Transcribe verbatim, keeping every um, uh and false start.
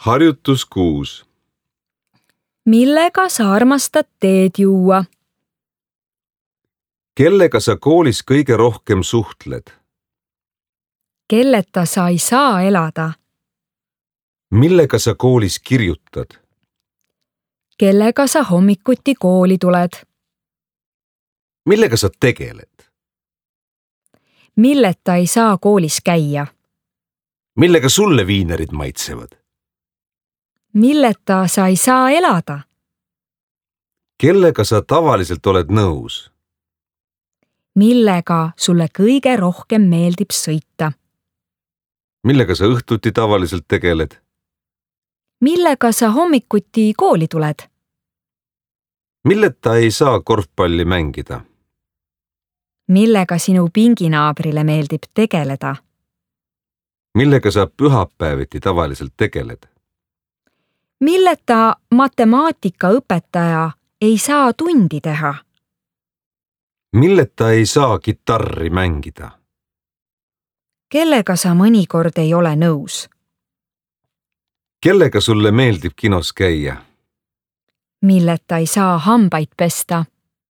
Harjutus kuus. Millega sa armastad teed juua? Kellega sa koolis kõige rohkem suhtled? Kelleta sa ei saa elada? Millega sa koolis kirjutad? Kellega sa hommikuti kooli tuled? Millega sa tegeled? Milleta ei saa koolis käia? Millega sulle viinerid maitsevad? Milleta sa ei saa elada? Kellega sa tavaliselt oled nõus? Millega sulle kõige rohkem meeldib sõita? Millega sa õhtuti tavaliselt tegeled? Millega sa hommikuti kooli tuled? Milleta ei saa korvpalli mängida? Millega sinu pinginaabrile meeldib tegeleda? Millega sa pühapäeviti tavaliselt tegeled? Milleta matemaatikaõpetaja ei saa tundi teha? Milleta ei saa kitarri mängida? Kellega sa mõnikord ei ole nõus? Kellega sulle meeldib kinos käia? Milleta ei saa hambaid pesta?